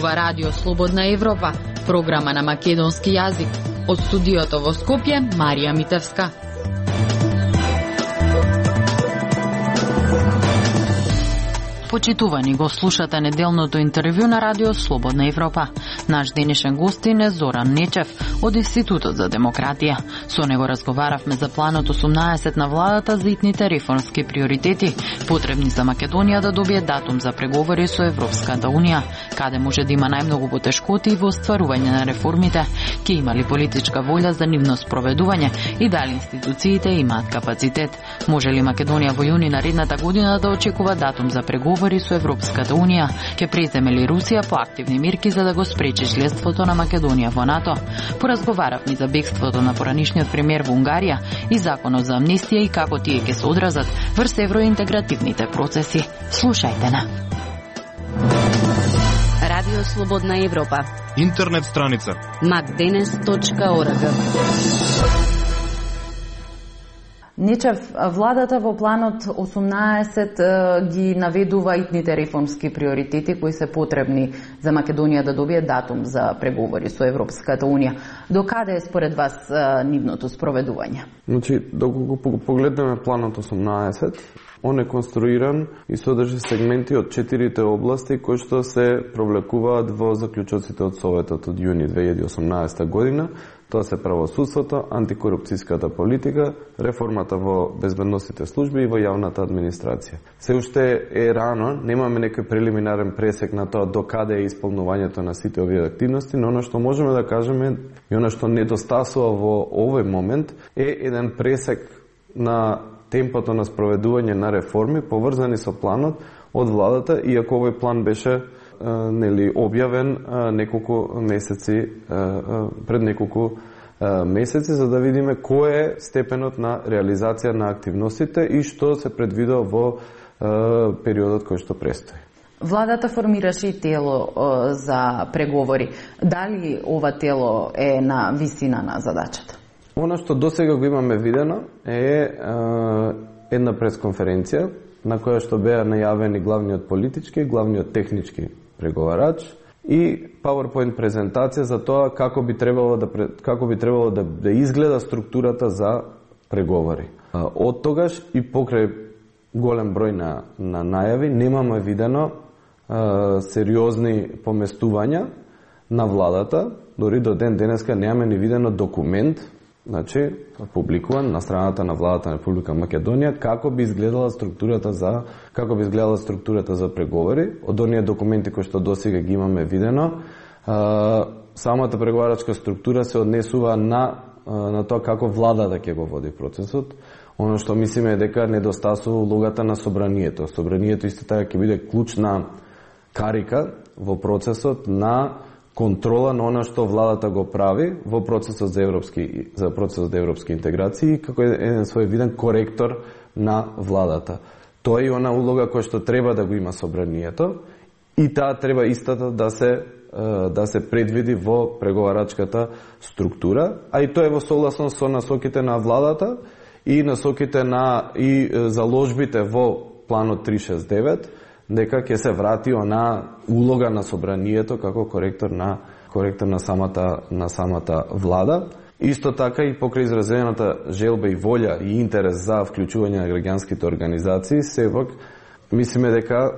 ова Радио Слободна Европа, програма на македонски јазик. Од студиото во Скопје, Марија Митевска. Почитувани, го слушате неделното интервју на Радио Слободна Европа. Наш денешен гостин е Зоран Нечев од Институтот за демократија. Со него разговаравме за планот 18 на владата за итните реформски приоритети, потребни за Македонија да добие датум за преговори со Европската Унија, каде може да има најмногу потешкоти во остварување на реформите, ќе има ли политичка волја за нивно спроведување и дали институциите имаат капацитет. Може ли Македонија во јуни наредната година да очекува датум за преговори со Европската Унија? Ќе преземе ли Русија поактивни мерки за да го спречи членството на Македонија во НАТО? Поразговаравме за бегството на поранишниот премиер во Унгарија и законот за амнестија и како тие ќе се одразат врз евроинтегративните процеси. Слушајте на Радио Слободна Европа. Интернет страница macdenes.org. Нечев, владата во планот 18 ги наведува итните реформски приоритети кои се потребни за Македонија да добие датум за преговори со Европската Унија. До каде е според вас нивното спроведување? Значи, доколку погледнеме планот 18, он е конструиран и содржи сегменти од 4 области кои што се провлекуваат во заклучоците од Советот од јуни 2018 година. Тоа се правосудството, антикорупцијската политика, реформата во безбедносните служби и во јавната администрација. Се уште е рано, немаме некој прелиминарен пресек на тоа до каде е исполнувањето на сите овие активности, но оно што можеме да кажеме и оно што недостасува во овој момент е еден пресек на темпото на спроведување на реформи поврзани со планот од владата, иако овој план беше објавен неколку месеци пред неколку месеци, за да видиме кој е степенот на реализација на активностите и што се предвидува во периодот кој што престои. Владата формираше и тело за преговори. Дали ова тело е на висина на задачата? Она што досега го имаме видено е една пресконференција на која што беа најавени главниот политички и главниот технички преговарач и PowerPoint презентација за тоа како би требало да изгледа структурата за преговори. Од тогаш и покрај голем број на најави немаме видено сериозни поместувања на владата, дори до ден денеска немаме ни видено документ, значи публикуван на страната на владата на Република Македонија како би изгледала структурата за преговори. Од оние документи кои што досега ги имаме видено, самата преговарачка структура се однесува на тоа како владата ќе го води процесот. Оно што мислиме е дека недостасува улогата на собранието. Собранието исто така ќе биде клучна карика во процесот на контрола на она што владата го прави во процесот за европски интеграции, како еден своевиден коректор на владата. Тоа е она улога која што треба да го има собранието и таа треба истата да се предвиди во преговарачката структура, а и тоа е во согласност со насоките на владата и насоките и заложбите во планот 369, дека ќе се врати она улога на собранието како коректор на самата влада. Исто така и покрај изразената желба и волја и интерес за вклучување на граѓанските организации, сепак мислиме дека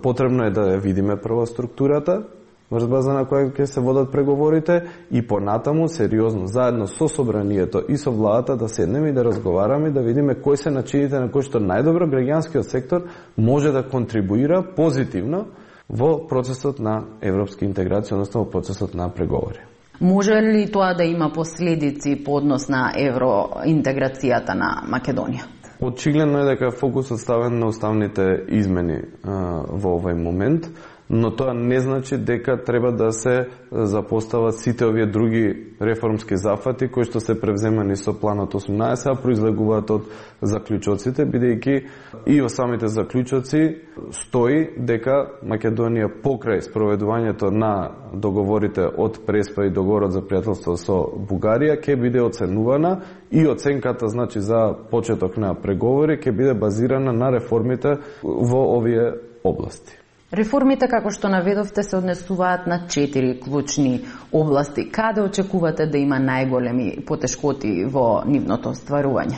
потребно е да ја видиме прво структурата врз база на која ќе се водат преговорите и понатаму сериозно заедно со собранието и со владата да седнеме и да разговараме, да видиме кои се начините на кои што најдобро граѓанскиот сектор може да контрибуира позитивно во процесот на европска интеграција, односно во процесот на преговори. Може ли тоа да има последици по однос на евроинтеграцијата на Македонија? Очигледно е дека фокусот ставен на уставните измени во овој момент, но тоа не значи дека треба да се запостават сите овие други реформски зафати кои што се превземани со планот 18, а произлегуваат од заклучоците, бидејќи и во самите заклучоци стои дека Македонија покрај спроведувањето на договорите од Преспа и договорот за пријателство со Бугарија ќе биде оценувана и оценката значи за почеток на преговори ќе биде базирана на реформите во овие области. Реформите, како што наведовте, се однесуваат на 4 клучни области. Каде очекувате да има најголеми потешкоти во нивното остварување?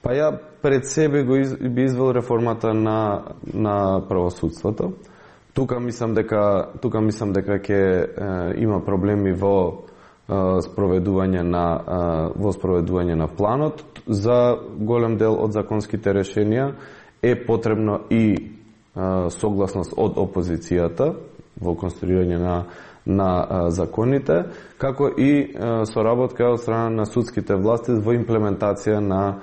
Па ја пред себе би извел реформата на правосудството. Тука мислам дека ќе има проблеми во спроведување на планот. За голем дел од законските решенија е потребно и согласност од опозицијата во конструирање на законите, како и соработка од страна на судските власти во имплементација на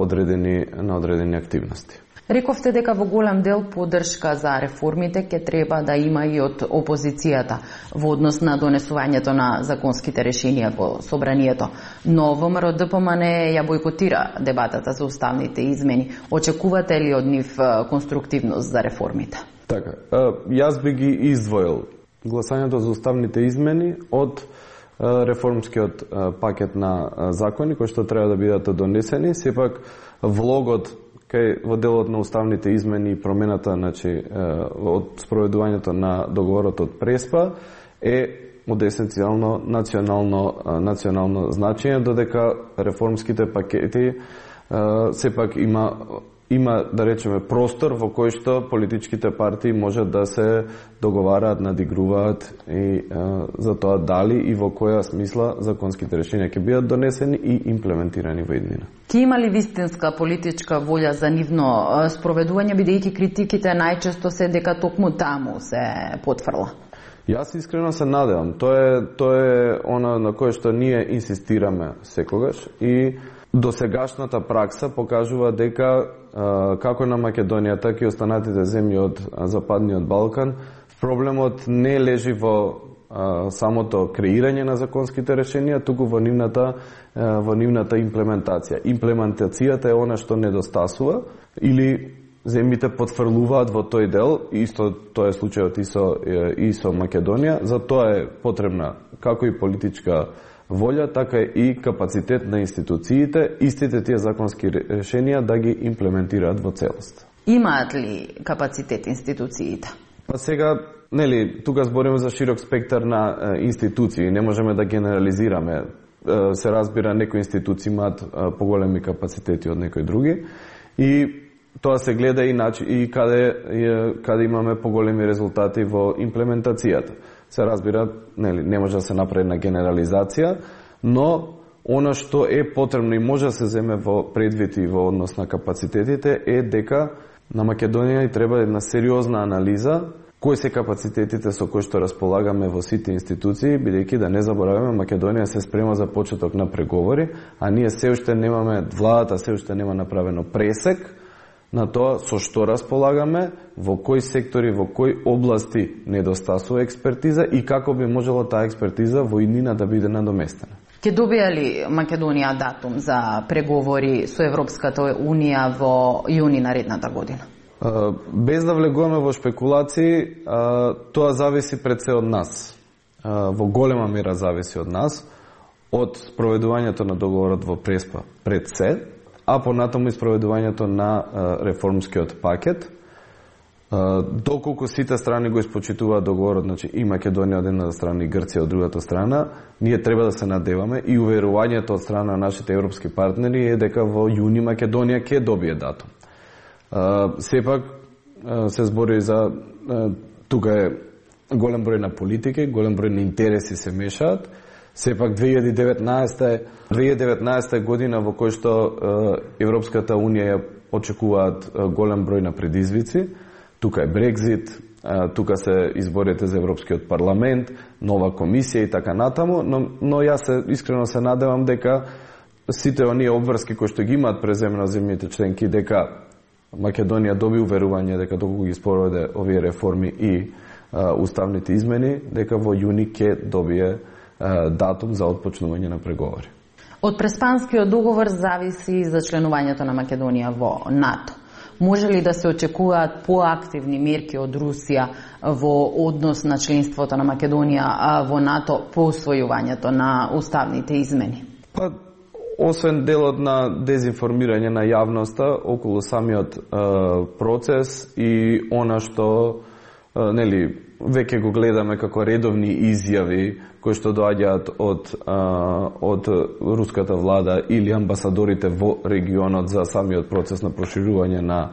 одредени активности. Рековте дека во голем дел поддршка за реформите ќе треба да има и од опозицијата во однос на донесувањето на законските решенија во собранието. Но ВМРО ДПМН ја бойкотира дебатата за уставните измени. Очекувате ли од нив конструктивност за реформите? Така, јас би ги издвоил гласањето за уставните измени од реформскиот пакет на закони кои што треба да бидат донесени. Сепак влогот во делот на уставните измени и промената, од спроведувањето на договорот од Преспа е од есенцијално национално значење, додека реформските пакети сепак има да речеме простор во кој што политичките партии можат да се договараат, надигруваат и за тоа дали и во која смисла законските решенија ќе бидат донесени и имплементирани во иднина. Ке има ли вистинска политичка волја за нивно спроведување, бидејќи критиките најчесто се дека токму таму се потврла? Јас искрено се надевам. Тоа е она на кое што ние инсистираме секогаш и досегашната пракса покажува дека како на Македонија, така и останатите земји од Западниот Балкан, проблемот не лежи во самото креирање на законските решенија, туку во нивната имплементација. Имплементацијата е она што недостасува или земјите потврлуваат во тој дел, исто тоа е случајот и со Македонија, за тоа е потребна како и политичка волја, така и капацитет на институциите, истите тие законски решенија да ги имплементираат во целост. Имаат ли капацитет институциите? Па сега, тука збориме за широк спектар на институции, не можеме да генерализираме. Се разбира, некои институции имаат поголеми капацитети од некои други и тоа се гледа и каде имаме поголеми резултати во имплементацијата. Се разбира, не може да се направи на генерализација, но она што е потребно и може да се земе во предвид и во однос на капацитетите е дека на Македонија и треба една сериозна анализа кои се капацитетите со кои што располагаме во сите институции, бидејќи да не забораваме, Македонија се спрема за почеток на преговори, а ние се уште немаме, владата се уште нема направено пресек на тоа со што располагаме, во кои сектори, во кои области недостасува експертиза и како би можела таа експертиза во иднина да биде надоместена. Ке добија ли Македонија датум за преговори со Европската Унија во јуни наредната година? Без да влегуваме во шпекулации, тоа зависи пред се од нас. Во голема мера зависи од нас, од спроведувањето на договорот во Преспа пред се, а понатаму и спроведувањето на реформскиот пакет. Доколку сите страни го испочитуваат договорот, значи и Македонија од една страна и Грција од другата страна, ние треба да се надеваме и уверувањето од страна на нашите европски партнери е дека во јуни Македонија ќе добие датум. Сепак се збори за тука е голем број на политики, голем број на интереси се мешаат. Сепак 2019 година во кој што Европската Унија ја очекуваат голем број на предизвици. Тука е Брекзит, тука се изборите за Европскиот парламент, нова комисија и така натаму, но јас искрено се надевам дека сите оние обврски кои што ги имаат преземено земјите членки, дека Македонија доби уверување дека доколку ги спроведе овие реформи и уставните измени, дека во јуни ќе добие датум за отпочнување на преговори. Од Преспанскиот договор зависи за членувањето на Македонија во НАТО. Може ли да се очекуваат поактивни мерки од Русија во однос на членството на Македонија во НАТО по усвојувањето на уставните измени? Па, освен делот на дезинформирање на јавноста околу самиот процес и она што веќе го гледаме како редовни изјави кои што доаѓаат од руската влада или амбасадорите во регионот за самиот процес на проширување на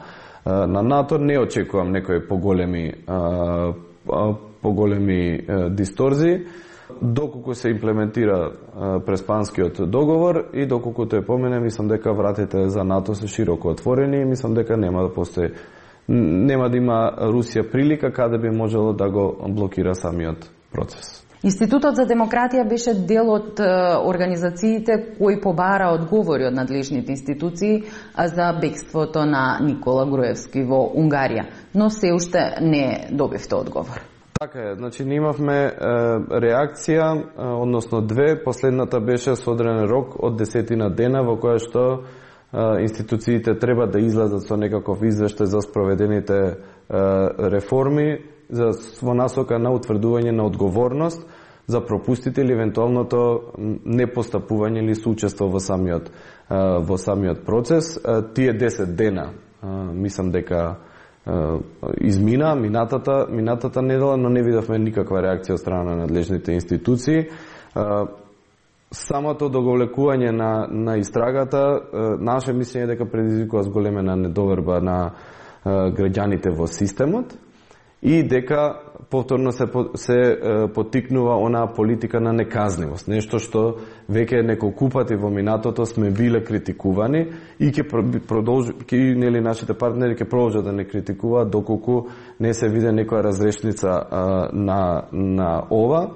НАТО. Не очекувам некои поголеми дисторзии, доколку се имплементира Преспанскиот договор и доколку тој помине, мислам дека вратите за НАТО се широко отворени и мислам дека нема да има Русија прилика каде би можело да го блокира самиот процес. Институтот за демократија беше дел од организациите кои побара одговори од надлежните институции за бегството на Никола Груевски во Унгарија, но се уште не добивте одговор. Така е, значи ние имавме реакција, односно две, последната беше со одреден рок од 10 дена во која што институциите треба да излезат со некаков извештај за спроведените реформи во насока на утврдување на одговорност за пропустите или евентуалното непостапување или соучество во самиот процес. Тие 10 дена мислам дека измина минатата недела, но не видовме никаква реакција од страна на надлежните институции. Самото доголекување на истрагата, наше мислење дека предизвикува зголемена недоверба на граѓаните во системот и дека повторно се поттикнува онаа политика на неказнивост, нешто што веќе неколку пати во минатото сме биле критикувани и нашите партнери ќе продолжат да не критикуваат доколку не се види некоја разрешница на ова.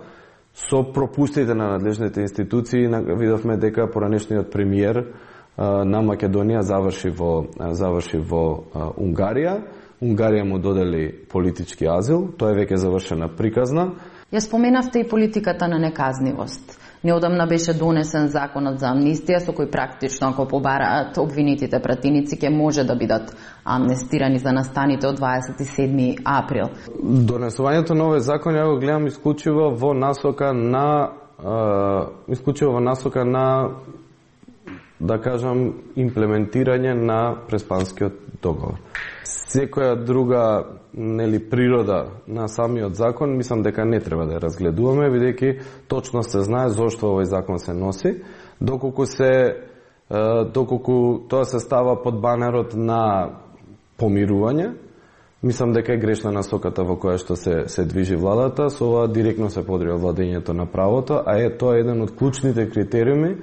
Со пропустите на надлежните институции видовме дека поранешниот премиер на Македонија заврши во Унгарија. Унгарија му додели политички азил, тоа е веќе завршена приказна. Ја споменавте и политиката на неказнивост. Неодамна беше донесен законот за амнистија со кој практично ако побараат обвинетите пратеници ќе може да бидат амнестирани за настаните од 27 април. Донесувањето на овој закон ја го гледам исклучиво во насока на да кажам имплементирање на Преспанскиот договор. Секоја друга природа на самиот закон, мислам дека не треба да ја разгледуваме, бидејќи точно се знае зошто овој закон се носи, доколку тоа се става под банерот на помирување. Мислам дека е грешна насоката во која што се движи владата, со ова директно се подрива владењето на правото, а тоа е еден од клучните критериуми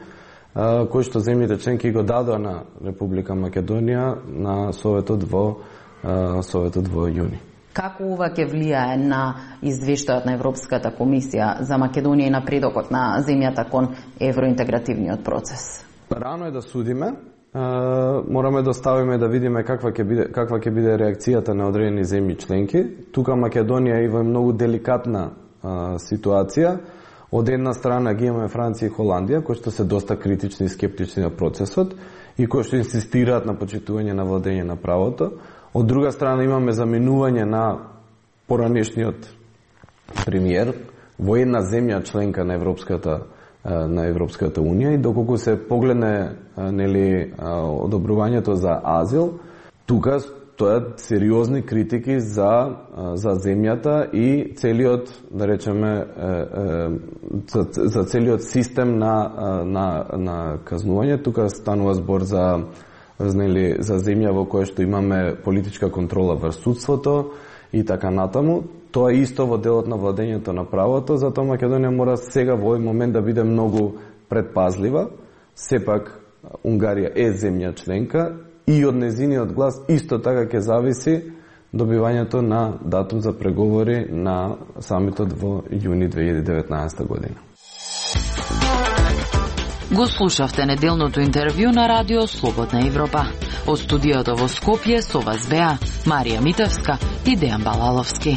кои што земјите членки го дадоа на Република Македонија на Советот во јуни. Како ова ќе влијае на извештајот на Европската комисија за Македонија и напредокот на земјата кон евроинтегративниот процес? Рано е да судиме. Мораме да оставиме да видиме каква ќе биде реакцијата на одредени земји членки. Тука Македонија е во многу деликатна ситуација. Од една страна ги имаме Франција и Холандија, кои што се доста критични и скептични на процесот и кои што инсистираат на почитување на владење на правото. Од друга страна имаме заменување на поранешниот премиер во една земја членка на Европската унија и доколку се погледне одобрувањето за азил, тука стојат сериозни критики за земјата и целиот, да речеме, за целиот систем на казнување. Тука станува збор за земја во која што имаме политичка контрола врз судството и така натаму. Тоа е исто во делот на владењето на правото, затоа Македонија мора сега во овој момент да биде многу предпазлива. Сепак Унгарија е земја членка и од незиниот глас исто така ќе зависи добивањето на датум за преговори на самитот во јуни 2019 година. Го слушавте неделното интервју на Радио Слободна Европа. Од студиото во Скопје со вас беа Марија Митевска и Дејан Балаловски.